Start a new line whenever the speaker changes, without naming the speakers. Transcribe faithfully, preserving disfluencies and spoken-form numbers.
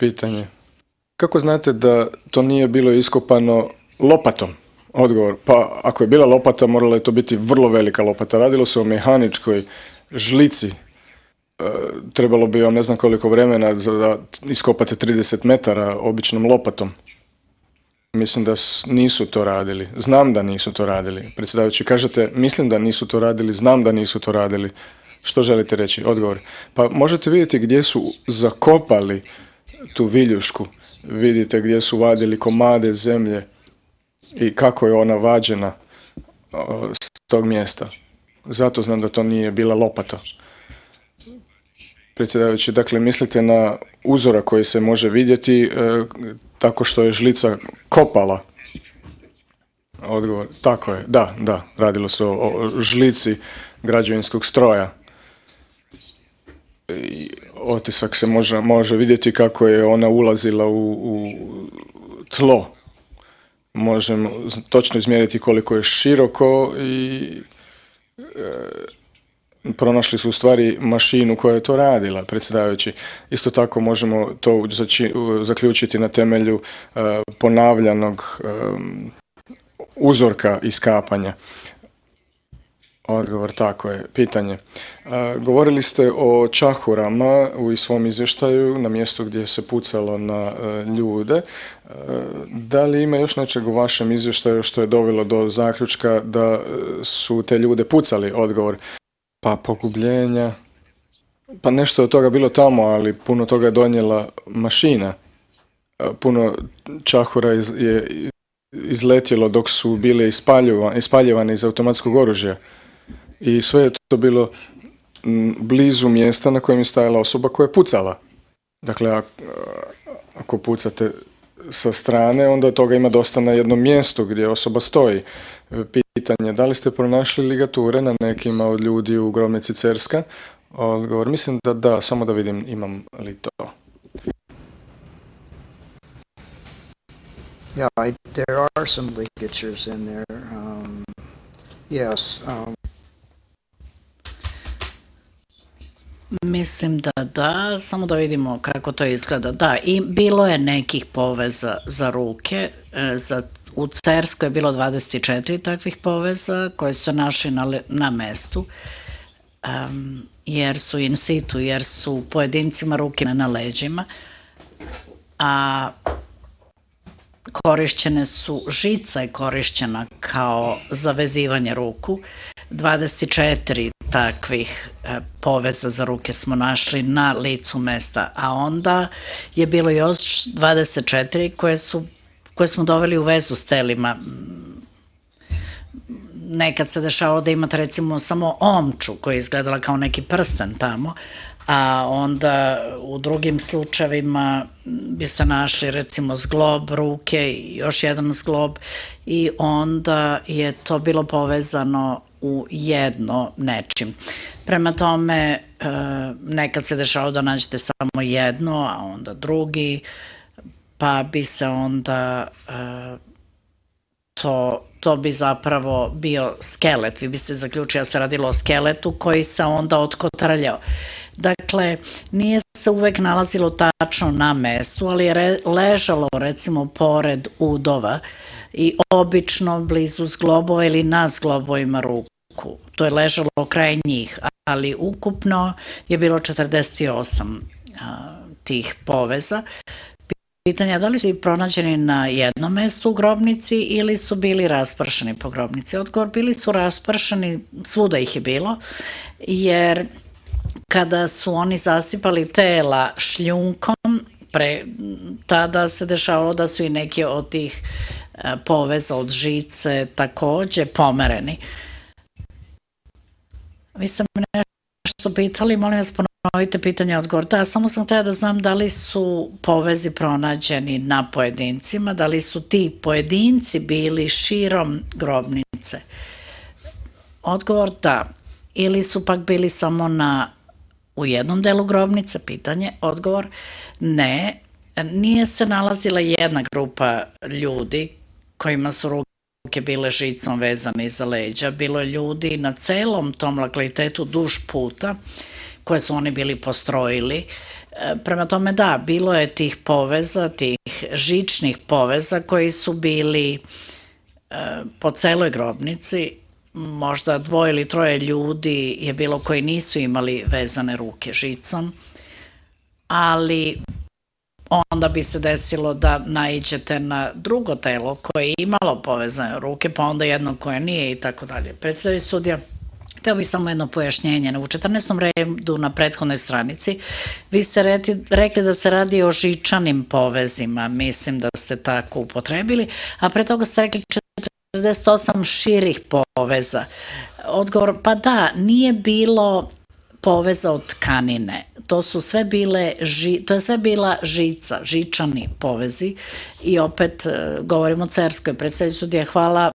Pitanje. Kako znate da to nije bilo iskopano lopatom? Odgovor. Pa ako je bila lopata, morala je to biti vrlo velika lopata. Radilo se o mehaničkoj žlici. E, trebalo bi vam ne znam koliko vremena da iskopate trideset metara običnom lopatom. Mislim da nisu to radili. Znam da nisu to radili. Predsjedavajući, kažete, mislim da nisu to radili, znam da nisu to radili. Što želite reći? Odgovor. Pa možete vidjeti gdje su zakopali tu viljušku. Vidite gdje su vadili komade zemlje i kako je ona vađena s tog mjesta. Zato znam da to nije bila lopata. Predsjedavajući, dakle, mislite na uzora koji se može vidjeti e, tako što je žlica kopala. Odgovor, tako je, da, da, radilo se o, o žlici građevinskog stroja. I otisak se može, može vidjeti kako je ona ulazila u, u tlo. Možemo točno izmjeriti koliko je široko i e, pronašli su u stvari mašinu koja je to radila, predsjedavajući. Isto tako možemo to zači, zaključiti na temelju e, ponavljanog e, uzorka iskapanja. Odgovor, tako je. Pitanje. A, govorili ste o čahurama u svom izvještaju na mjestu gdje se pucalo na a, ljude. A, da li ima još nečeg u vašem izvještaju što je dovelo do zaključka da su te ljude pucali? Odgovor. Pa pogubljenja. Pa nešto od toga bilo tamo, ali puno toga je donijela mašina. A, puno čahura je izletjelo dok su bile ispaljivane iz automatskog oružja. I sve je to bilo blizu mjesta na kojem je stajala osoba koja je pucala. Dakle, ako pucate sa strane, onda toga ima dosta na jednom mjestu gdje osoba stoji. Pitanje, da li ste pronašli ligature na nekima od ljudi u grobnici Cerska? Odgovor, mislim da da, samo da vidim imam li to.
Yeah, I, there are some ligatures in there. Um, yes. Um.
Mislim da da, samo da vidimo kako to izgleda. Da, i bilo je nekih poveza za ruke. Za, u Cerskoj je bilo dvadeset četiri takvih poveza koje su našli na, na mestu. Um, jer su in situ, jer su pojedincima ruke na leđima. A korišćene su, žica je korišćena kao zavezivanje ruku. dvadeset četiri takvih e, poveza za ruke smo našli na licu mesta, a onda je bilo još dvadeset četiri koje, su, koje smo doveli u vezu s telima. Nekad se dešavalo da imate recimo samo omču koja je izgledala kao neki prsten tamo, a onda u drugim slučajevima biste našli recimo zglob ruke i još jedan zglob i onda je to bilo povezano u jedno nečim. Prema tome, nekad se dešavalo da nađete samo jedno, a onda drugi, pa bi se onda to, to bi zapravo bio skelet. Vi biste zaključili da se radilo o skeletu koji se onda otkotrljao. Dakle, nije se uvek nalazilo tačno na mestu, ali je ležalo recimo pored udova i obično blizu zglobova ili na zglobovima ruku. To je ležalo kraj njih, ali ukupno je bilo četrdeset osam a, tih poveza. Pitanje je da li su pronađeni na jednom mestu u grobnici ili su bili raspršeni po grobnici. Odgovor, bili su raspršeni, svuda ih je bilo, jer kada su oni zasipali tela šljunkom, pre, tada se dešavalo da su i neki od tih e, poveza od žice takođe pomereni. Vi ste me nešto pitali, molim vas ponovite pitanje, odgovor. Da, samo sam htjela da znam da li su povezi pronađeni na pojedincima, da li su ti pojedinci bili širom grobnice. Odgovor da, ili su pak bili samo na u jednom delu grobnice, pitanje, odgovor, ne, nije se nalazila jedna grupa ljudi kojima su ruke bile žicom vezane iza leđa, bilo je ljudi na celom tom lokalitetu duž puta koje su oni bili postrojili Prema tome da, bilo je tih poveza, tih žičnih poveza koji su bili po celoj grobnici, možda dvoje ili troje ljudi je bilo koji nisu imali vezane ruke žicom, ali onda bi se desilo da naiđete na drugo telo koje je imalo povezane ruke, pa onda jedno koje nije i tako dalje. Predsedavajući sudija, hteo bih samo jedno pojašnjenje. U četrnaestom redu na prethodnoj stranici vi ste rekli da se radi o žičanim povezima, mislim da ste tako upotrebili, a pre toga ste rekli četrdeset osam širih poveza. Odgovor, pa da, nije bilo poveza od tkanine. To su sve bile, to je sve bila žica, žičani povezi i opet govorimo o Cerskoj. Predsedavajući sudija, hvala,